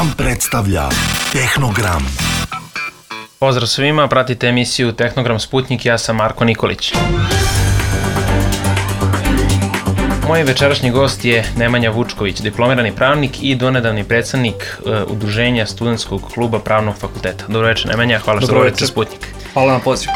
Gram predstavlja Tehnogram. Pozdrav svima, pratite emisiju Tehnogram Sputnik, ja sam Marko Nikolić. Moj večerašnji gost je Nemanja Vučković, diplomirani pravnik i donedavni predsednik Udruženja Studentskog kluba Pravnog fakulteta. Dobro večer, Nemanja, hvala što dovolite Sputnik. Hvala na pozivu.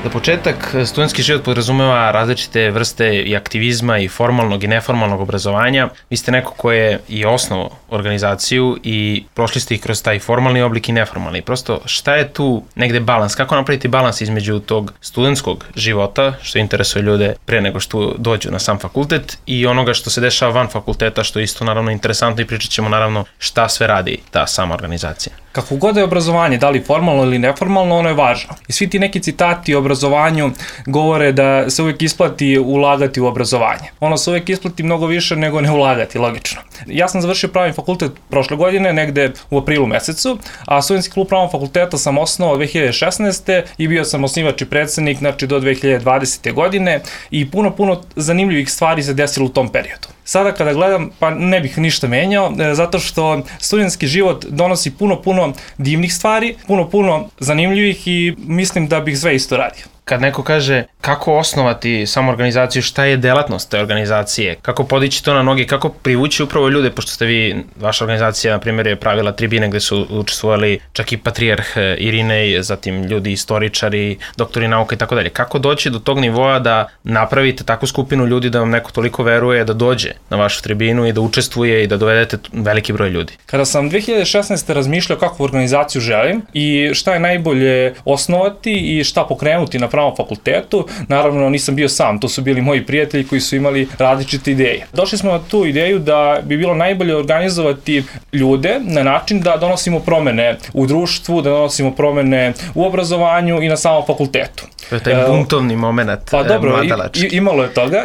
Za početak, studentski život podrazumeva različite vrste i aktivizma i formalnog i neformalnog obrazovanja. Vi ste neko ko je i osnovao organizaciju i prošli ste i kroz taj formalni oblik i neformalni. Prosto, šta je tu negde balans? Kako napraviti balans između tog studentskog života, što interesuje ljude pre nego što dođu na sam fakultet, i onoga što se dešava van fakulteta, što je isto naravno interesantno i pričat ćemo naravno šta sve radi ta sama organizacija. Kako god je obrazovanje, da li formalno ili neformalno, ono je važno. I svi ti neki citati o obrazovanju govore da se uvijek isplati ulagati u obrazovanje. Ono se uvijek isplati mnogo više nego ne ulagati, logično. Ja sam završio pravni fakultet prošle godine, negde u aprilu mesecu, a Studentski klub pravnog fakulteta sam osnovao 2016. i bio sam osnivač i predsednik, znači do 2020. godine i puno zanimljivih stvari se desilo u tom periodu. Sada kada gledam, pa ne bih ništa menjao, zato što studentski život donosi puno divnih stvari, puno zanimljivih i mislim da bih sve isto radio. Kad neko kaže kako osnovati samu organizaciju, šta je delatnost te organizacije, kako podići to na noge, kako privući upravo ljude, pošto ste vi, vaša organizacija, na primjer, je pravila tribine gde su učestvovali čak i patrijarh Irinej, zatim ljudi istoričari, doktori nauka i tako dalje. Kako doći do tog nivoa da napravite takvu skupinu ljudi da vam neko toliko veruje da dođe na vašu tribinu i da učestvuje i da dovedete veliki broj ljudi? Kada sam 2016. razmišljao kakvu organizaciju želim i šta je najbolje osnovati i šta pokrenuti na pravnom fakultetu, naravno nisam bio sam, to su bili moji prijatelji koji su imali različite ideje. Došli smo na tu ideju da bi bilo najbolje organizovati ljude na način da donosimo promene u društvu, da donosimo promene u obrazovanju i na samom fakultetu. To je taj buntovni moment, pa dobro,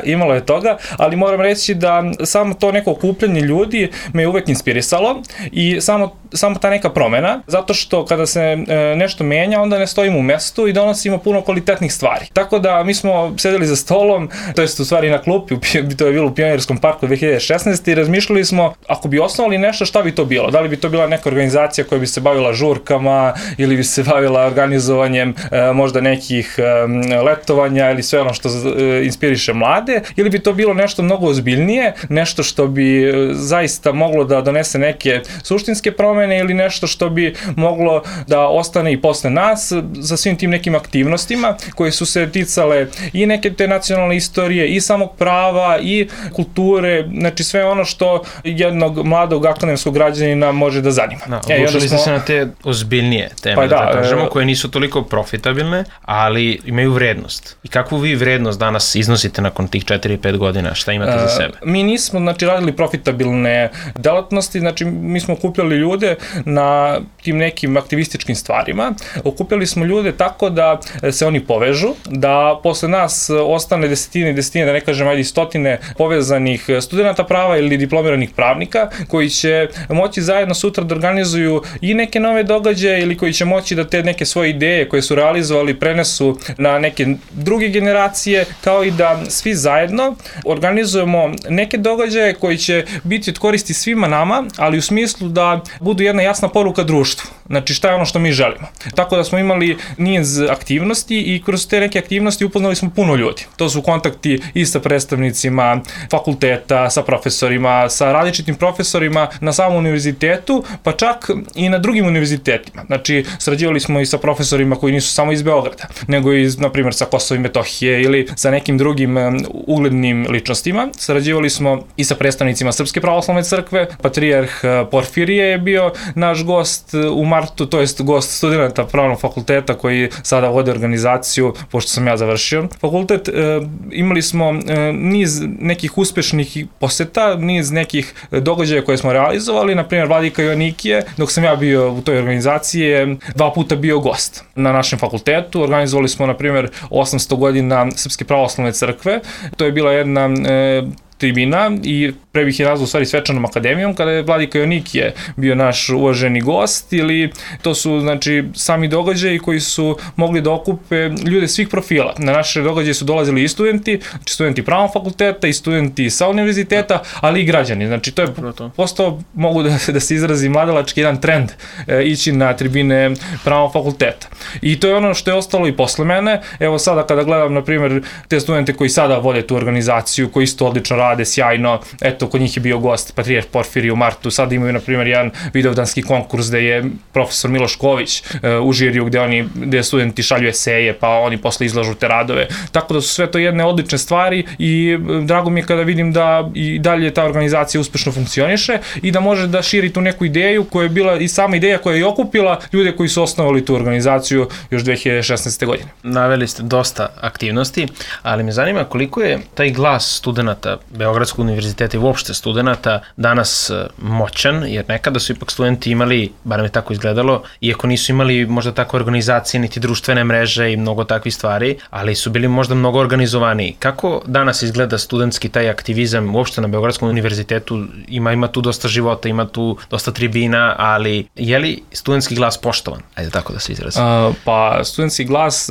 imalo je toga, ali moram reći da samo to neko okupljanje ljudi me je uvek inspirisalo i samo ta neka promena, zato što kada se nešto menja, onda ne stojimo u mestu i donosimo puno kvalitetnih stvari. Tako da mi smo sedeli za stolom, to jest u stvari na klupi, to je bilo u Pionirskom parku 2016. i razmišljali smo, ako bi osnovali nešto, šta bi to bilo? Da li bi to bila neka organizacija koja bi se bavila žurkama ili bi se bavila organizovanjem možda nekih letovanja ili sve ono što inspiriše mlade, ili bi to bilo nešto mnogo ozbiljnije, nešto što bi zaista moglo da donese neke suštinske promene ili nešto što bi moglo da ostane i posle nas za svim tim nekim aktivnostima koje su se ticale i neke te nacionalne istorije i samog prava i kulture, znači sve ono što jednog mladog akademskog građanina može da zanima. Odlučili ste se na te ozbiljnije teme, da kažemo, koje nisu toliko profitabilne, ali imaju vrednost. I kakvu vi vrednost danas iznosite nakon tih 4-5 godina? Šta imate za sebe? Mi nismo, radili profitabilne delatnosti, mi smo okupljali ljude na tim nekim aktivističkim stvarima. Okupljali smo ljude tako da se oni povežu, da posle nas ostane desetine, da ne kažem, stotine povezanih studenta prava ili diplomiranih pravnika koji će moći zajedno sutra da organizuju i neke nove događaje ili koji će moći da te neke svoje ideje koje su realizovali prenesu na neke druge generacije, kao i da svi zajedno organizujemo neke događaje koji će biti od koristi svima nama, ali u smislu da budu jedna jasna poruka društvu. Znači šta je ono što mi želimo. Tako da smo imali niz aktivnosti i kroz te neke aktivnosti upoznali smo puno ljudi. To su kontakti i sa predstavnicima fakulteta, sa profesorima, sa različitim profesorima na samom univerzitetu, pa čak i na drugim univerzitetima. Znači sarađivali smo i sa profesorima koji nisu samo iz Beograda, nego i na primjer sa Kosova i Metohije ili sa nekim drugim uglednim ličnostima. Sarađivali smo i sa predstavnicima Srpske pravoslavne crkve, patrijarh Porfirije je bio naš gost u martu, to jest gost studenta pravnog fakulteta koji sada vode organizaciju, pošto sam ja završio fakultet. Imali smo niz nekih uspešnih poseta, niz nekih događaja koje smo realizovali, na primjer Vladika Joannikije, dok sam ja bio u toj organizaciji, je 2 puta bio gost na našem fakultetu. Organizovali smo, na primjer, 800 godina Srpske pravoslavne crkve. To je bila jedna tribina i pre bih je nazvao u stvari Svečanom akademijom, kada je Vladika Jonikije bio naš uvaženi gost, ili to su znači sami događaji koji su mogli da okupe ljude svih profila. Na naše događaje su dolazili i studenti, znači studenti pravnog fakulteta i studenti sa univerziteta, ali i građani. Znači to je postao, mogu da se izrazi mladalački jedan trend ići na tribine pravnog fakulteta. I to je ono što je ostalo i posle mene. Evo sada kada gledam, na primjer, te studente koji sada vode tu organizaciju, koji isto odlično rade, sjajno, eto, kod njih je bio gost Patrijarh Porfirije u martu, sada imaju, na primjer, jedan vidovdanski konkurs gde je profesor Miloš Ković u žiriju, gde studenti šalju eseje, pa oni posle izlažu te radove. Tako da su sve to jedne odlične stvari i drago mi je kada vidim da i dalje ta organizacija uspešno funkcioniše i da može da širi tu neku ideju koja je bila i sama ideja koja je okupila ljude koji su osnovali tu organizaciju još 2016. godine. Naveli ste dosta aktivnosti, ali me zanima koliko je taj glas studenta Beogradskog univerziteta i uopšte studenta danas moćan, jer nekada su ipak studenti imali, barem je tako izgledalo, iako nisu imali možda takve organizacije, niti društvene mreže i mnogo takvih stvari, ali su bili možda mnogo organizovaniji. Kako danas izgleda studentski taj aktivizam uopšte na Beogradskom univerzitetu? Ima tu dosta života, ima tu dosta tribina, ali je li studentski glas poštovan? Ajde tako da se izrazim. Pa studentski glas...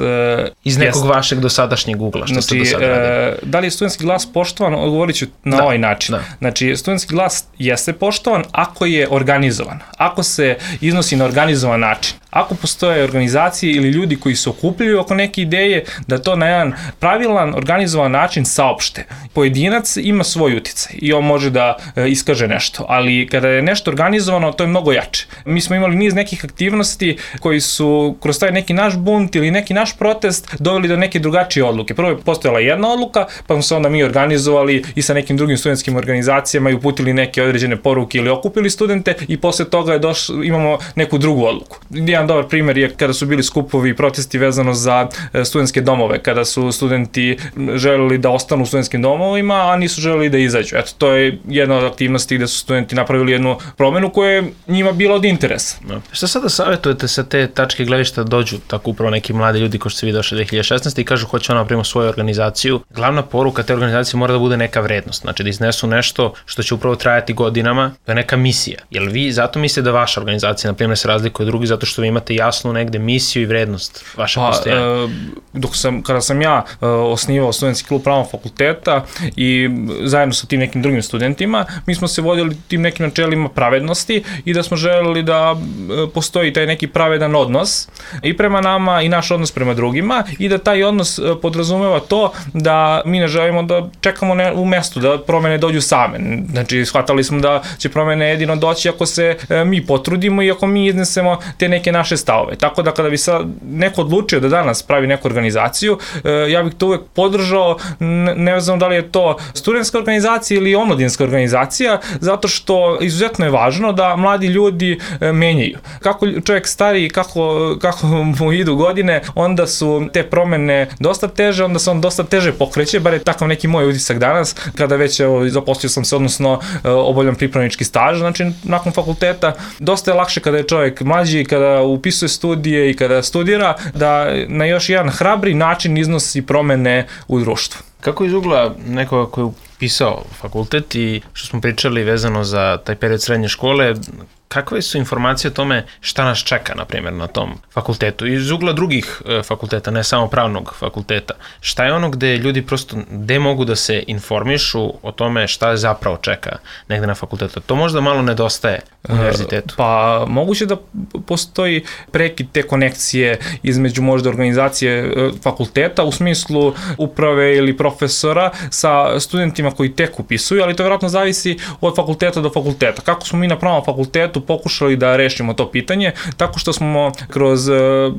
iz nekog vašeg dosadašnjeg ugla, što ste do sada radili. Da li je studentski glas poštovan? Odgovorit ću na ovaj način. Znači, studentski glas jeste poštovan ako je organizovan, ako se iznosi na organizovan način. Ako postoje organizacije ili ljudi koji se okupljaju oko neke ideje, da to na jedan pravilan, organizovan način saopšte. Pojedinac ima svoj uticaj i on može da iskaže nešto, ali kada je nešto organizovano, to je mnogo jače. Mi smo imali niz nekih aktivnosti koji su kroz taj neki naš bunt ili neki naš protest doveli do neke drugačije odluke. Prvo je postojala jedna odluka, pa smo se onda mi organizovali i sa nekim drugim studentskim organizacijama i uputili neke određene poruke ili okupili studente i posle toga imamo neku drugu odluku. Jedan dobar primjer je kada su bili skupovi i protesti vezano za studentske domove, kada su studenti želeli da ostanu u studentskim domovima, a nisu želeli da izađu. Eto, to je jedna od aktivnosti gde su studenti napravili jednu promenu koja je njima bila od interesa. Šta sada savjetujete sa te tačke gledišta dođu tako upravo neki mladi ljudi ko što ste vi došli 2016. i kažu hoće ona napravimo svoju organizaciju? Glavna poruka te organizacije mora da bude neka vrednost, znači da iznesu nešto što će upravo trajati godinama, to je neka misija. Jel vi zato mislite da vaša organizacija, na primjer, se razlikuje od drugih zato što vi imate jasnu negde misiju i vrednost vaše postojanja? Kada sam ja osnivao studentski klub pravnog fakulteta i zajedno sa tim nekim drugim studentima, mi smo se vodili tim nekim načelima pravednosti i da smo želeli da postoji taj neki pravedan odnos i prema nama i naš odnos prema drugima i da taj odnos podrazumeva to da mi ne želimo da čekamo u mestu, da promene dođu same. Znači, shvatali smo da će promene jedino doći ako se mi potrudimo i ako mi iznesemo te neke naše stavove. Tako da kada bi sad neko odlučio da danas pravi neku organizaciju, ja bih to uvek podržao, ne znam da li je to studentska organizacija ili omladinska organizacija, zato što izuzetno je važno da mladi ljudi menjaju. Kako čovjek stari, kako mu idu godine, onda su te promene dosta teže, onda se on dosta teže pokreće, bar je takav neki moj utisak danas, kada već zaposlio sam se, odnosno obavljam pripravnički staž, znači nakon fakulteta, dosta je lakše kada je čovjek mlađi, kada upisuje studije i kada studira, da na još jedan hrabri način iznosi promene u društvu. Kako iz ugla nekoga koji je upisao fakultet i što smo pričali vezano za taj period srednje škole, kakve su informacije o tome šta nas čeka, na primjer, na tom fakultetu? Iz ugla drugih fakulteta, ne samo pravnog fakulteta. Šta je ono gde ljudi prosto, gde mogu da se informišu o tome šta je zapravo čeka negde na fakultetu? To možda malo nedostaje univerzitetu. Pa moguće da postoji prekid te konekcije između možda organizacije fakulteta u smislu uprave ili profesora sa studentima koji tek upisuju, ali to vjerojatno zavisi od fakulteta do fakulteta. Kako smo mi na pravnom fakultetu pokušali da rešimo to pitanje, tako što smo kroz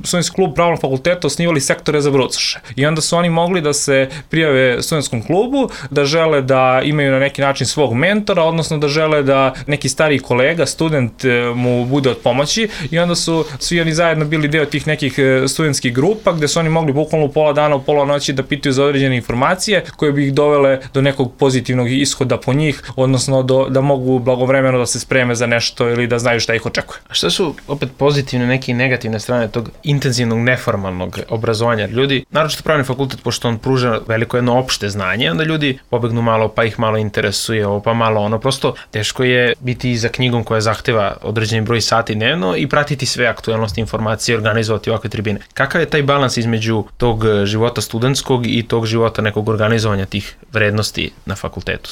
studentski klub pravnog fakulteta osnivali sektore za brucoše. I onda su oni mogli da se prijave studentskom klubu, da žele da imaju na neki način svog mentora, odnosno da žele da neki stariji kolega, student mu bude od pomoći i onda su svi oni zajedno bili deo tih nekih studentskih grupa gde su oni mogli bukvalno u pola dana, u pola noći da pitaju za određene informacije koje bi ih dovele do nekog pozitivnog ishoda po njih, odnosno da mogu blagovremeno da se spreme za nešto ili da znaju šta ih očekuje. A šta su opet pozitivne neke i negativne strane tog intenzivnog neformalnog obrazovanja? Ljudi, naročito pravni fakultet, pošto on pruža veliko jedno opšte znanje, onda ljudi pobegnu malo, pa ih malo interesuje ovo, pa malo ono. Prosto teško je biti za knjigom koja zahteva određeni broj sati dnevno i pratiti sve aktuelnosti informacije, organizovati ovakve tribine. Kakav je taj balans između tog života studentskog i tog života nekog organizovanja tih vrednosti na fakultetu?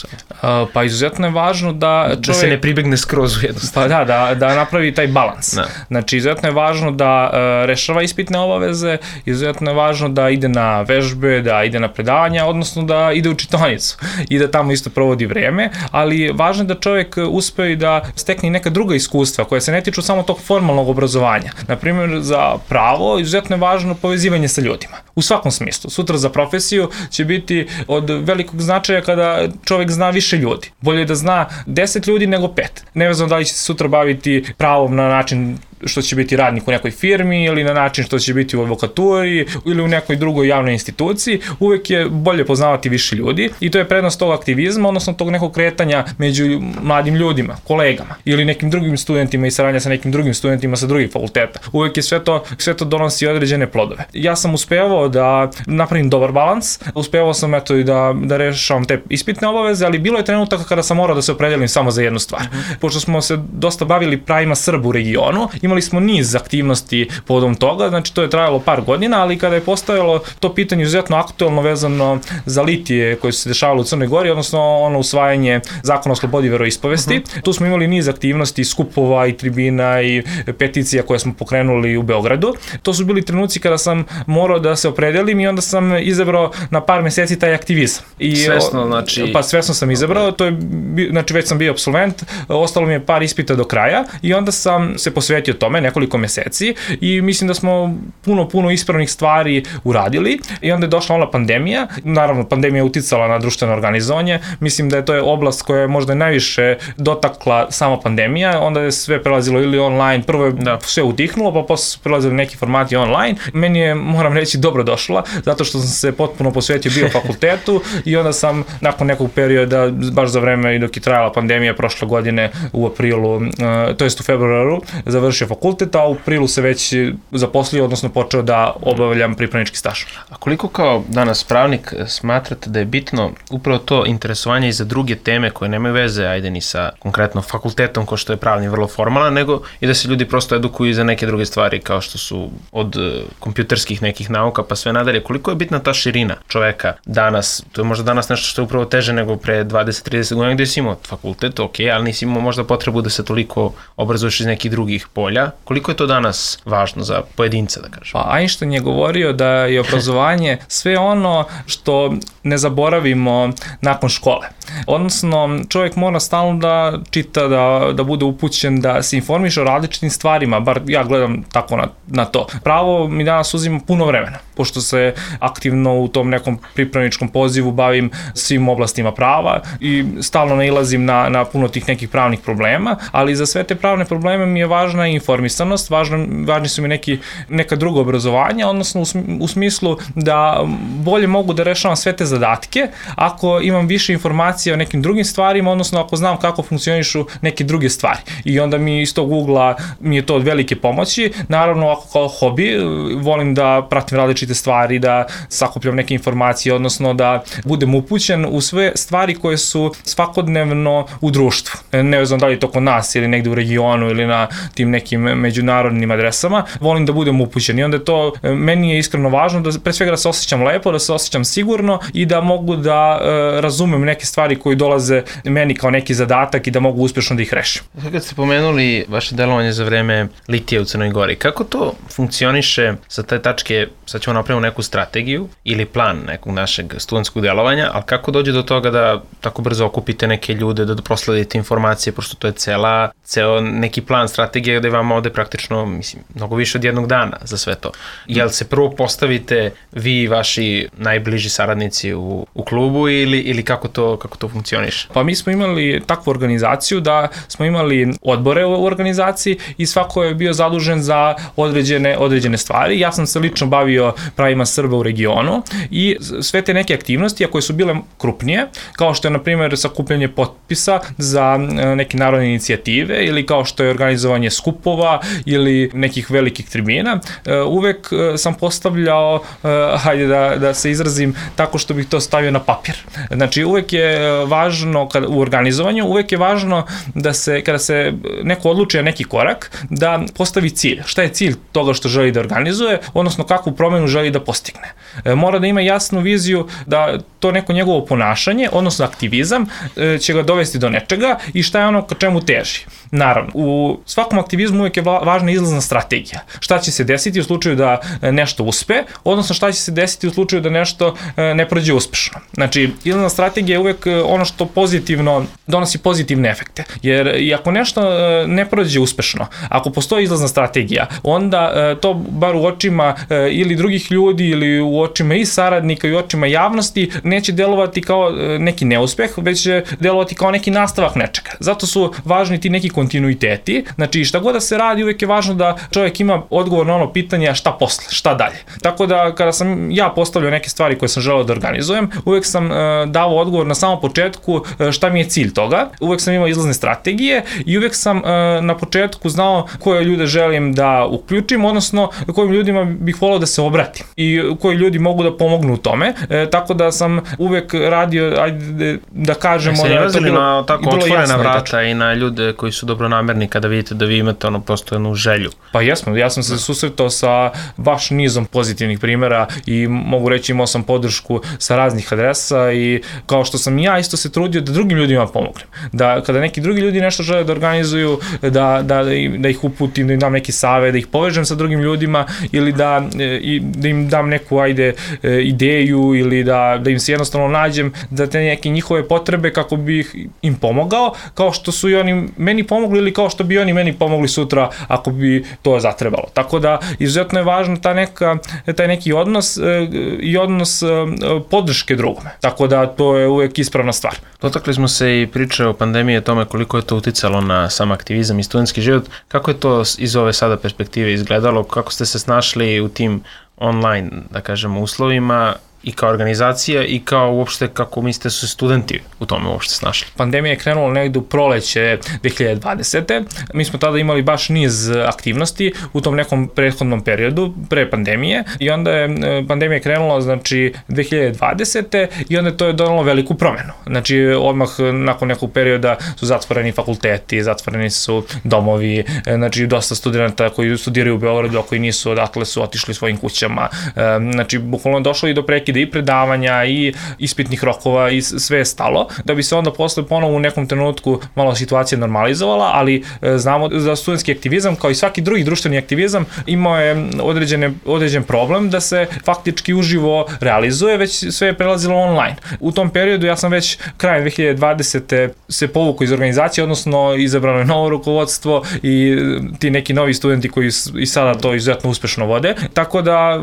Pa izuzetno je važno da čovjek... Da se ne pribegne skroz u jednostavno. Pa da napravi taj balans. Da. Znači, izuzetno je važno da rešava ispitne obaveze, izuzetno je važno da ide na vežbe, da ide na predavanja, odnosno da ide u čitaonicu i da tamo isto provodi vreme, ali važno je da čovjek uspe i da stekne neka druga iskustva koja se ne tiču samo tog formalnog obrazovanja. Naprimjer, za pravo izuzetno je važno povezivanje sa ljudima. U svakom smislu. Sutra za profesiju će biti od velikog značaja kada čovjek zna više ljudi. Bolje da zna 10 ljudi nego 5. Nevezano da li će se sutra baviti pravom na način što će biti radnik u nekoj firmi ili na način što će biti u advokaturi ili u nekoj drugoj javnoj instituciji, uvek je bolje poznavati više ljudi i to je prednost tog aktivizma, odnosno tog nekog kretanja među mladim ljudima, kolegama ili nekim drugim studentima i saradnja sa nekim drugim studentima sa drugih fakulteta. Uvek je sve to donosi određene plodove. Ja sam uspevao da napravim dobar balans, uspevao sam eto i da rešavam te ispitne obaveze, ali bilo je trenutaka kada sam morao da se opredelim samo za jednu stvar. Pošto smo se dosta bavili pravima Srba u regionu, imali smo niz aktivnosti povodom toga, znači to je trajalo par godina, ali kada je postojalo to pitanje izuzetno aktuelno vezano za litije koje su se dešavalo u Crnoj Gori, odnosno ono usvajanje zakona o slobodi veroispovesti, tu smo imali niz aktivnosti, skupova i tribina i peticija koje smo pokrenuli u Beogradu. To su bili trenuci kada sam morao da se opredelim i onda sam izabrao na par meseci taj aktivizam. Svesno, znači... Pa svesno sam izabrao, to je, znači već sam bio apsolvent, ostalo mi je par ispita do kraja i onda sam se posvetio tome nekoliko meseci i mislim da smo puno ispravnih stvari uradili i onda je došla ona pandemija. Naravno, pandemija je uticala na društveno organizovanje. Mislim da je to oblast koja je možda najviše dotakla sama pandemija. Onda je sve prelazilo ili online, prvo je sve utihnulo, pa posle su prelazili neki formati online. Meni je, moram reći, dobro došla, zato što sam se potpuno posvetio bio fakultetu i onda sam nakon nekog perioda, baš za vreme i dok je trajala pandemija prošle godine u aprilu, to jest u februaru, završio fakultet, a u aprilu se već zaposlio, odnosno počeo da obavljam pripravnički staž. A koliko kao danas pravnik smatrate da je bitno upravo to interesovanje i za druge teme koje nemaju veze, ajde ni sa konkretno fakultetom, ko što je pravni vrlo formalan, nego i da se ljudi prosto edukuju za neke druge stvari kao što su od kompjuterskih nekih nauka pa sve nadalje. Koliko je bitna ta širina čoveka danas? To je možda danas nešto što je upravo teže nego pre 20-30 godina gde si imao fakultet, ok, ali nisi imao možda potrebu da se toliko obrazuješ iz nekih drugih polja. Koliko je to danas važno za pojedinca, da kažem? Pa Einstein je govorio da je obrazovanje sve ono što ne zaboravimo nakon škole. Odnosno, čovjek mora stalno da čita, da bude upućen, da se informiše o različitim stvarima, bar ja gledam tako na to. Pravo mi danas uzima puno vremena, pošto se aktivno u tom nekom pripravničkom pozivu bavim svim oblastima prava i stalno nailazim na puno tih nekih pravnih problema, ali za sve te pravne probleme mi je važna informisanost, važni su mi neka druga obrazovanja, odnosno u smislu da bolje mogu da rešavam sve te zadatke ako imam više informacija o nekim drugim stvarima, odnosno ako znam kako funkcionišu neke druge stvari. I onda mi iz tog ugla mi je to od velike pomoći. Naravno, ako kao hobi volim da pratim različite stvari, da sakupljam neke informacije, odnosno da budem upućen u sve stvari koje su svakodnevno u društvu. Ne znam da li je to kod nas ili negde u regionu ili na tim nekim međunarodnim adresama, volim da budem upućen i onda je to, meni je iskreno važno da pre svega da se osjećam lepo, da se osjećam sigurno i da mogu da razumem neke stvari koje dolaze meni kao neki zadatak i da mogu uspešno da ih rešim. Kad ste pomenuli vaše delovanje za vreme litija u Crnoj Gori, kako to funkcioniše sa te tačke, sad ćemo napraviti neku strategiju ili plan nekog našeg studentskog delovanja, ali kako dođe do toga da tako brzo okupite neke ljude, da prosledite informacije, pošto to je ceo neki plan, strategija gde vam ode praktično, mislim, mnogo više od jednog dana za sve to. Jel se prvo postavite vi i vaši najbliži saradnici u klubu ili kako to funkcioniše? Pa mi smo imali takvu organizaciju da smo imali odbore u organizaciji i svako je bio zadužen za određene stvari. Ja sam se lično bavio pravima Srba u regionu i sve te neke aktivnosti, a koje su bile krupnije, kao što je na primjer sakupljanje potpisa za neke narodne inicijative ili kao što je organizovanje skupova ili nekih velikih tribina, uvek sam postavljao, hajde da se izrazim tako što bih to stavio na papir. Znači uvek je važno u organizovanju, uvek je važno da se, kada se neko odluči na neki korak, da postavi cilj. Šta je cilj toga što želi da organizuje, odnosno kakvu promenu želi da postigne. Mora da ima jasnu viziju da to neko njegovo ponašanje, odnosno aktivizam, će ga dovesti do nečega i šta je ono ka čemu teži. Naravno, u svakom aktivizmu uvijek je važna izlazna strategija. Šta će se desiti u slučaju da nešto uspe, odnosno šta će se desiti u slučaju da nešto ne prođe uspešno. Znači, izlazna strategija je uvijek ono što pozitivno donosi pozitivne efekte. Jer i ako nešto ne prođe uspešno, ako postoji izlazna strategija, onda to bar u očima ili drugih ljudi ili u očima i saradnika i u očima javnosti neće delovati kao neki neuspeh, već će delovati kao neki nastavak nečega. Zato su važni ti neki kontinuiteti. Znači, šta god da se radi, uvijek je važno da čovjek ima odgovor na ono pitanje šta posle, šta dalje. Tako da, kada sam ja postavljao neke stvari koje sam želeo da organizujem, uvijek sam dao odgovor na samom početku šta mi je cilj toga. Uvijek sam imao izlazne strategije i uvijek sam na početku znao koje ljude želim da uključim, odnosno kojim ljudima bih volao da se obratim i koji ljudi mogu da pomognu u tome. Tako da sam uvijek radio, ajde da kažemo, da je to bilo tako otvorena vrata i na ljude koji su dobronamerni kada vidite da vi imate prosto jednu želju. Pa jesmo, ja sam se susretao sa baš nizom pozitivnih primjera i mogu reći imao sam podršku sa raznih adresa i kao što sam ja isto se trudio da drugim ljudima pomognem. Da kada neki drugi ljudi nešto žele da organizuju, da ih uputim, da im dam neki savjet, da ih povežem sa drugim ljudima ili da im dam neku ideju ili da im se jednostavno nađem za te neke njihove potrebe kako bih im pomogao, kao što su i oni meni pomogli ili kao što bi oni meni pomogli sutra ako bi to zatrebalo. Tako da izuzetno je važno taj neki odnos i odnos podrške drugome. Tako da to je uvek ispravna stvar. Dotakli smo se i priče o pandemiji, o tome koliko je to uticalo na sam aktivizam i studentski život. Kako je to iz ove sada perspektive izgledalo? Kako ste se snašli u tim online, da kažemo, uslovima i kao organizacija i kao uopšte kako mislite su studenti u tome uopšte snašli? Pandemija je krenula negde u proleće 2020. Mi smo tada imali baš niz aktivnosti u tom nekom prethodnom periodu, pre pandemije, i onda je pandemija krenula, znači, 2020. i onda to je donalo veliku promenu. Znači, odmah nakon nekog perioda su zatvoreni fakulteti, zatvoreni su domovi, znači, dosta studenta koji studiraju u Beogradu, a koji nisu odatle su otišli svojim kućama. Znači, bukvalno došlo i do prekida i predavanja i ispitnih rokova i sve je stalo, da bi se onda posle ponovo u nekom trenutku malo situacija normalizovala, ali znamo da studentski aktivizam, kao i svaki drugi društveni aktivizam, imao je određen problem da se faktički uživo realizuje, već sve je prelazilo online. U tom periodu ja sam već krajem 2020. se povukao iz organizacije, odnosno izabrano je novo rukovodstvo i ti neki novi studenti koji i sada to izuzetno uspešno vode, tako da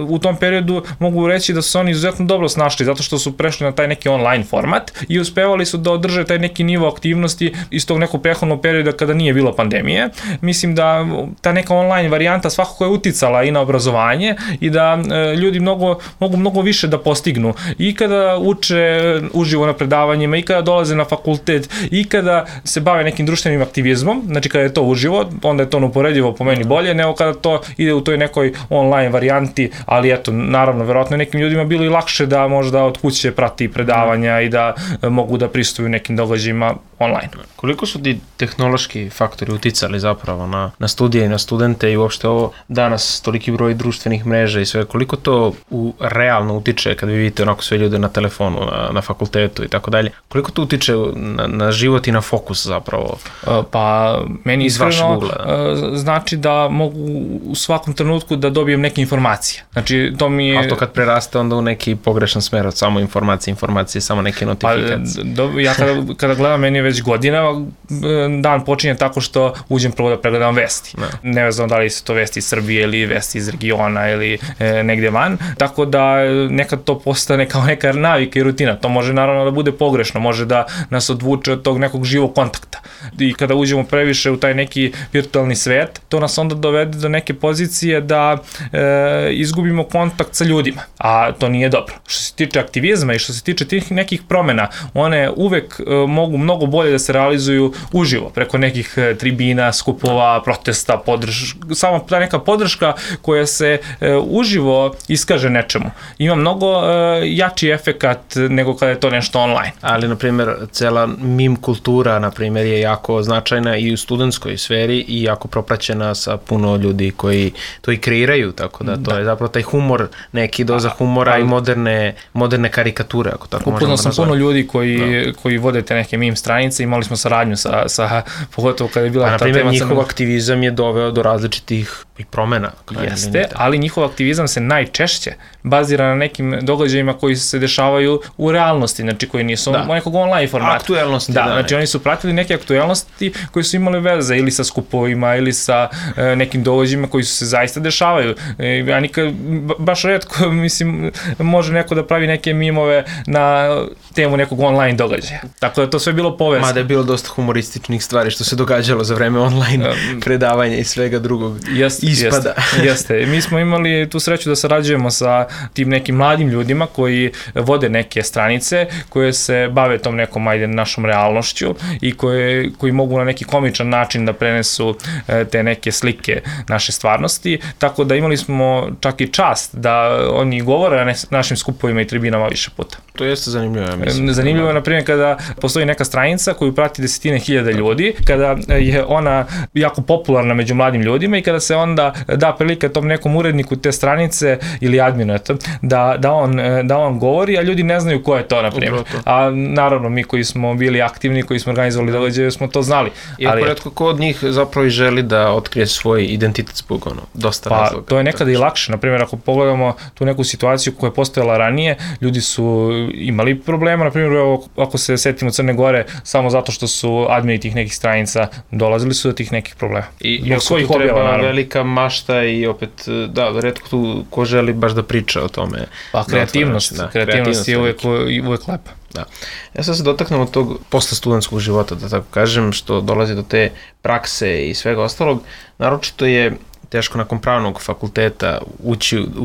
u tom periodu mogu reći da su oni izuzetno dobro snašli, zato što su prešli na taj neki online format i uspevali su da održe taj neki nivo aktivnosti iz tog nekog prethodnog perioda kada nije bilo pandemije. Mislim da ta neka online varijanta svakako je uticala i na obrazovanje i da ljudi mogu mnogo više da postignu i kada uče uživo na predavanjima i kada dolaze na fakultet i kada se bave nekim društvenim aktivizmom, znači kada je to uživo, onda je to neuporedivo po meni bolje nego kada to ide u toj nekoj online varijanti, ali eto, naravno, verovatno nekim ljudima bilo i lakše da možda od kuće prati predavanja i da mogu da pristupuju nekim događajima online. Koliko su ti tehnološki faktori uticali zapravo na studije i na studente i uopšte ovo danas toliki broj društvenih mreža i sve, koliko to realno utiče kad vi vidite onako sve ljude na telefonu, na fakultetu i tako dalje, koliko to utiče na život i na fokus zapravo? Pa meni iskreno znači da mogu u svakom trenutku da dobijem neke informacije. Znači to mi je... A to kad preraste onda u neki pogrešan smer od samo informacije, samo neke notifikacije. Pa ja kada gledam, meni je već godina, dan počinje tako što uđem prvo da pregledam vesti. Nevezano da li su to vesti iz Srbije ili vesti iz regiona ili negde van, tako da nekad to postane kao neka navika i rutina. To može naravno da bude pogrešno, može da nas odvuče od tog nekog živog kontakta. I kada uđemo previše u taj neki virtualni svet, to nas onda dovede do neke pozicije da izgubimo kontakt sa ljudima. A to nije dobro. Što se tiče aktivizma i što se tiče tih nekih promena, one uvek mogu mnogo bolje da se realizuju uživo, preko nekih tribina, skupova, protesta, samo ta neka podrška koja se uživo iskaže nečemu. Ima mnogo jači efekat nego kada je to nešto online. Ali, na primjer, cela meme kultura, na primjer, je jako značajna i u studentskoj sferi i jako propraćena sa puno ljudi koji to i kreiraju, tako da to je zapravo taj humor, neki doza humora i moderne karikature, ako tako možemo nazvati. Upoznao sam puno ljudi koji vode te neke meme stranice, imali smo saradnju sa pogotovo kada je bila ta tema. Na primjer, njihov aktivizam je doveo do različitih i promena. Jeste, ali njihov aktivizam se najčešće bazira na nekim događajima koji se dešavaju u realnosti, znači koji nisu nekog online formata. Aktuelnosti, znači oni su pratili neke aktuelnosti koji su imali veze ili sa skupovima ili sa nekim događajima koji su se zaista dešavaju. Ja nikad, baš retko, mislim, može neko da pravi neke mimove na temu nekog online događaja. Tako da to sve bilo povezano. Mada je bilo dosta humorističnih stvari što se događalo za vreme online predavanja i svega drugog ispada. Jeste. Mi smo imali tu sreću da sarađujemo sa tim nekim mladim ljudima koji vode neke stranice koje se bave tom nekom našom realnošću i koji mogu na neki komičan način da prenesu te neke slike naše stvarnosti. Tako da imali smo čak i čast da oni govore na našim skupovima i tribinama više puta. To jeste zanimljivo, ja mislim. Zanimljivo je, na primjer, kada postoji neka stranica koju prati 10.000 ljudi, kada je ona jako popularna među mladim ljudima i kada se onda da prilika tom nekom uredniku te stranice ili adminu da on govori, a ljudi ne znaju ko je to, na primjer. A naravno, mi koji smo bili aktivni, koji smo organizovali događaje, smo to znali. Iako retko ko od njih zapravo i želi da otkrije svoj identitet zbog dosta razloga. Pa to je nekada i lakše. Na primjer, ako pogledamo tu neku situaciju koja je postojala ranije, ljudi su imali problema, na primjer, ako se setimo Crne Gore, samo zato što su admini tih nekih stranica, dolazili su do tih nekih problema. I svojih objava, naravno. Velika mašta i opet, retko tu ko želi baš da priča o tome. Pa kreativnost je uvek lepa. Da. Ja sad se dotaknem od tog posle studentskog života, da tako kažem, što dolazi do te prakse i svega ostalog. Naročito je teško nakon pravnog fakulteta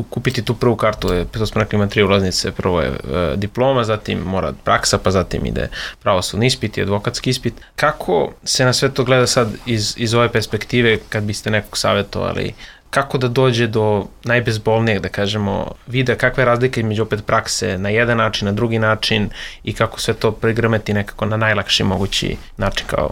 kupiti tu prvu kartu, to smo rekli, ima 3 ulaznice, prvo je diploma, zatim mora praksa, pa zatim ide pravosudni ispit i advokatski ispit. Kako se na sve to gleda sad iz ove perspektive, kad biste nekog savjetovali, kako da dođe do najbezbolnijeg, da kažemo, vida kakva je razlika između opet prakse na jedan način, na drugi način i kako sve to prigrmeti nekako na najlakši mogući način kao...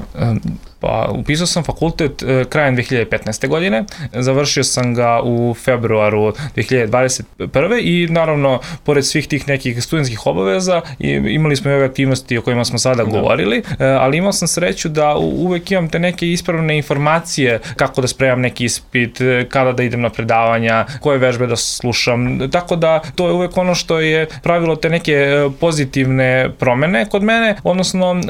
Pa, upisao sam fakultet krajem 2015. godine, završio sam ga u februaru 2021. i naravno, pored svih tih nekih studentskih obaveza, imali smo i ove aktivnosti o kojima smo sada govorili, ali imao sam sreću da uvek imam te neke ispravne informacije kako da spremam neki ispit, kada da idem na predavanja, koje vežbe da slušam, tako da to je uvek ono što je pravilo te neke pozitivne promene kod mene, odnosno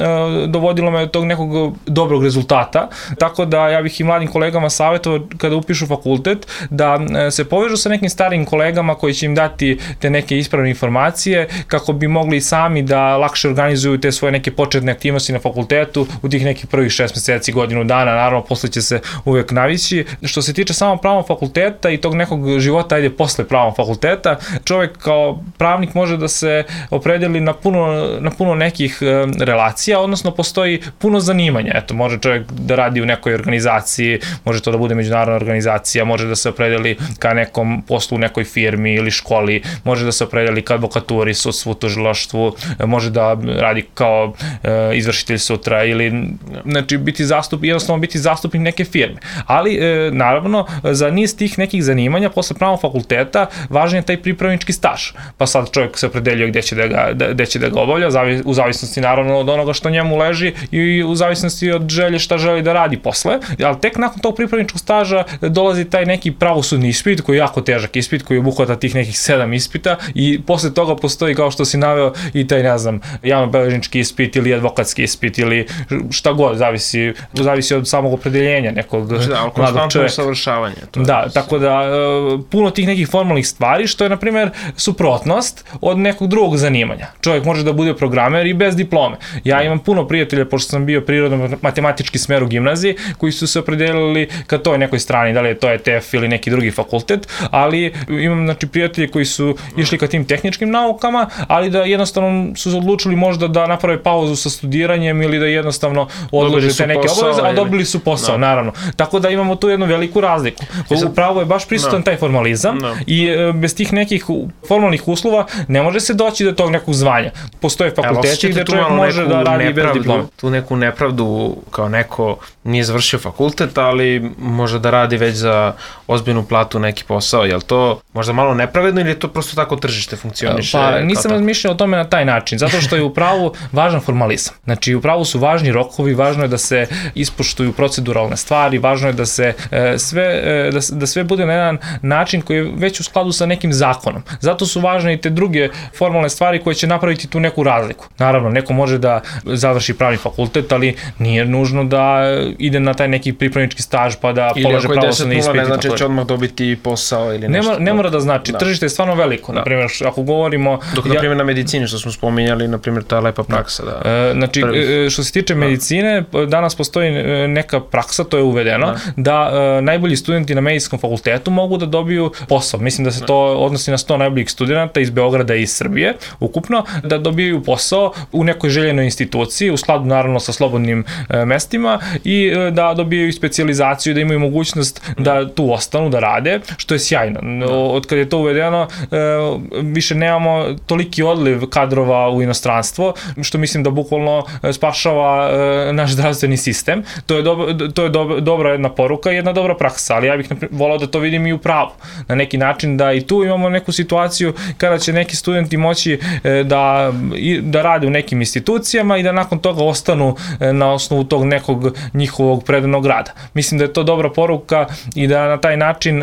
dovodilo me do tog nekog dobrog rezultata, tako da ja bih i mladim kolegama savjetovao kada upišu fakultet da se povežu sa nekim starim kolegama koji će im dati te neke ispravne informacije kako bi mogli i sami da lakše organizuju te svoje neke početne aktivnosti na fakultetu u tih nekih prvih 6 meseci, godinu dana, naravno posle će se uvek navići. Što se tiče samo pravnog fakulteta i tog nekog života posle pravnog fakulteta, čovjek kao pravnik može da se opredeli na puno nekih relacija, odnosno postoji puno zanimanja. Eto, može čovjek da radi u nekoj organizaciji, može to da bude međunarodna organizacija, može da se opredeli ka nekom poslu u nekoj firmi ili školi, može da se opredeli ka advokaturi, sudstvu, tužilaštvu, može da radi kao izvršitelj sutra ili znači jednostavno biti zastupnik neke firme. Ali naravno za niz tih nekih zanimanja posle pravnog fakulteta važan je taj pripravnički staž. Pa sad čovjek se opredeljuje gde će da ga obavlja, u zavisnosti naravno od onoga što njemu leži i u zavisnosti od želje šta želi da radi posle, ali tek nakon tog pripravničkog staža dolazi taj neki pravosudni ispit koji je jako težak ispit koji obuhvata tih nekih 7 ispita i posle toga postoji, kao što si naveo, i taj, ne znam, javnobeležnički ispit ili advokatski ispit ili šta god, zavisi od samog opredeljenja nekog mladog čoveka. Usavršavanje. Da, tako da puno tih nekih formalnih stvari što je, na primjer, suprotnost od nekog drugog zanimanja. Čovjek može da bude programer i bez diplome. Ja imam puno prijatelja, pošto sam bio prirodno-matematički tehnički smer u gimnaziji, koji su se opredelili ka toj nekoj strani, da li je to ETF ili neki drugi fakultet, ali imam znači prijatelje koji su išli ka tim tehničkim naukama, ali da jednostavno su odlučili možda da naprave pauzu sa studiranjem ili da jednostavno odlože te neke obaveze, a dobili su posao, naravno. Tako da imamo tu jednu veliku razliku. Upravo je baš prisutan taj formalizam i bez tih nekih formalnih uslova ne može se doći do tog nekog zvanja. Postoje fakulteti gde čovjek može da radi bez diplome. Tu neku nepravdu kao neko nije završio fakultet, ali može da radi već za ozbiljnu platu neki posao. Je li to možda malo nepravedno ili je to prosto tako tržište funkcioniše? Pa nisam razmišljao o tome na taj način, zato što je upravo važan formalizam. Znači upravo su važni rokovi, važno je da se ispoštuju proceduralne stvari, važno je da se sve bude na jedan način koji je već u skladu sa nekim zakonom. Zato su važne i te druge formalne stvari koje će napraviti tu neku razliku. Naravno, neko može da završi pravni fakultet, ali nije nužno da ide na taj neki pripravnički staž pa da polaže pravosudni ispit. Ili ako je 10-0, ne znači će odmah dobiti posao ili nešto. Ne mora da znači. Tržište je stvarno veliko. Naprimjer, ako govorimo... Dok, naprimjer, na medicini, što smo spominjali, naprimjer, ta lepa praksa. Znači, što se tiče medicine, danas postoji neka praksa, to je uvedeno, da najbolji studenti na medicinskom fakultetu mogu da dobiju posao. Mislim da se to odnosi na 100 najboljih studenta iz Beograda i iz Srbije, ukupno, da dobiju posao u nekoj željenoj instituciji, u skladu naravno sa slobodnim mestima i da dobiju specijalizaciju, da imaju mogućnost da tu ostanu, da rade, što je sjajno. Od kada je to uvedeno, više nemamo toliki odliv kadrova u inostranstvo, što mislim da bukvalno spašava naš zdravstveni sistem. To je dobra jedna poruka i jedna dobra praksa, ali ja bih volao da to vidim i u pravu. Na neki način da i tu imamo neku situaciju kada će neki studenti moći da rade u nekim institucijama i da nakon toga ostanu na osnovu tog nekog njihovog predanog rada. Mislim da je to dobra poruka i da na taj način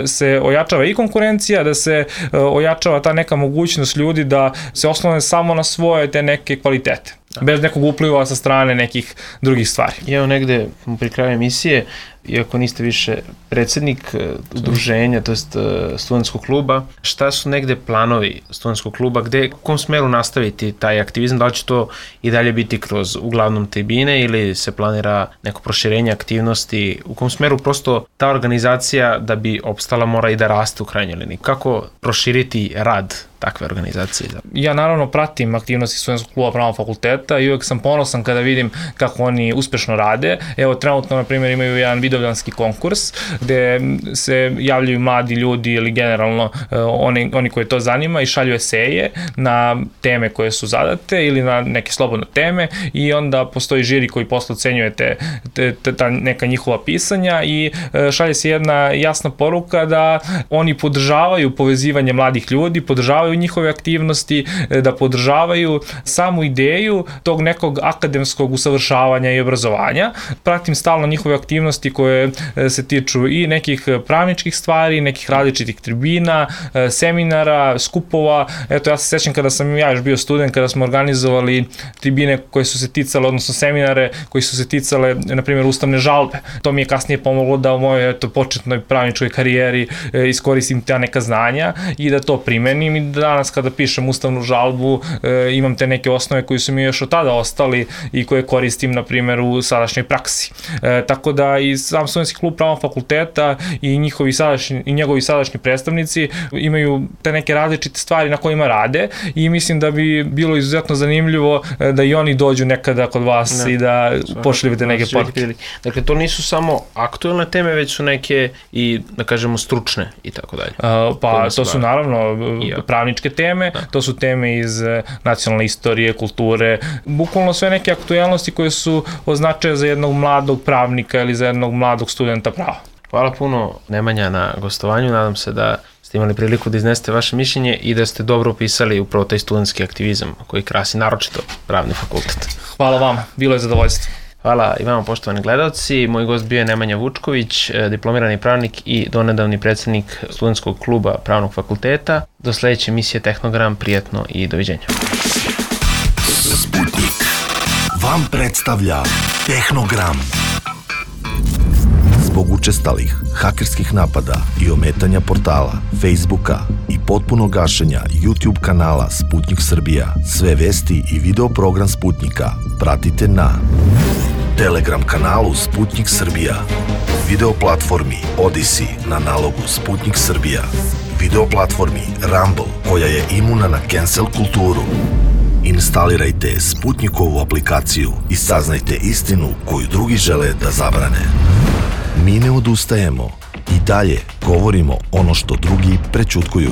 se ojačava i konkurencija, da se ojačava ta neka mogućnost ljudi da se oslone samo na svoje te neke kvalitete. Bez nekog upliva sa strane nekih drugih stvari. Evo negde pri kraju emisije, iako niste više predsjednik udruženja, to jest studentskog kluba, šta su negde planovi studentskog kluba, u kom smeru nastaviti taj aktivizam, da li će to i dalje biti kroz uglavnom tribine ili se planira neko proširenje aktivnosti, u kom smeru prosto ta organizacija da bi opstala mora i da raste u krajnjoj liniji. Kako proširiti rad takve organizacije? Ja naravno pratim aktivnosti studentskog kluba Pravnog fakulteta i uvek sam ponosan kada vidim kako oni uspešno rade. Evo trenutno na primjer imaju jedan vidovdanski konkurs gde se javljaju mladi ljudi ili generalno oni koje to zanima i šalju eseje na teme koje su zadate ili na neke slobodne teme i onda postoji žiri koji posle ocenjuje ta neka njihova pisanja i šalje se jedna jasna poruka da oni podržavaju povezivanje mladih ljudi, podržavaju njihove aktivnosti, da podržavaju samu ideju tog nekog akademskog usavršavanja i obrazovanja. Pratim stalno njihove aktivnosti koje se tiču i nekih pravničkih stvari, nekih različitih tribina, seminara, skupova. Eto, ja se sećam kada sam ja još bio student, kada smo organizovali tribine koje su se ticale, odnosno seminare koji su se ticale, na primjer, ustavne žalbe. To mi je kasnije pomoglo da u mojoj početnoj pravničkoj karijeri iskoristim ta neka znanja i da to primenim i danas kada pišem ustavnu žalbu imam te neke osnove koji su mi još od tada ostali i koje koristim, na primjer, u sadašnjoj praksi. Tako da i sam studentski klub Pravnog fakulteta i njegovi sadašnji predstavnici imaju te neke različite stvari na kojima rade i mislim da bi bilo izuzetno zanimljivo da i oni dođu nekada kod vas i da pošaljete neke poruke. Dakle, to nisu samo aktuelne teme, već su neke i, da kažemo, stručne i tako dalje. Pa, to su naravno pravničke teme, to su teme iz nacionalne istorije, kulture, bukvalno sve neke aktuelnosti koje su od značaja za jednog mladog pravnika ili za jednog mladog studenta prava. Hvala puno, Nemanja, na gostovanju. Nadam se da ste imali priliku da iznesete vaše mišljenje i da ste dobro opisali upravo taj studentski aktivizam koji krasi naročito Pravni fakultet. Hvala vama, bilo je zadovoljstvo. Hvala i vama, poštovani gledalci. Moj gost bio je Nemanja Vučković, diplomirani pravnik i donedavni predsjednik studentskog kluba Pravnog fakulteta. Do sledeće emisije Tehnogram, prijetno i doviđenja. Sputnik vam predstavlja Tehnogram. Zbog učestalih hakerskih napada i ometanja portala, Facebooka i potpunog gašenja YouTube kanala Sputnik Srbija, sve vesti i video program Sputnika pratite na Telegram kanalu Sputnik Srbija, video platformi Odyssey na nalogu Sputnik Srbija, video platformi Rumble koja je imuna na cancel kulturu. Instalirajte Sputnikovu aplikaciju i saznajte istinu koju drugi žele da zabrane. Mi ne odustajemo i dalje govorimo ono što drugi prećutkuju.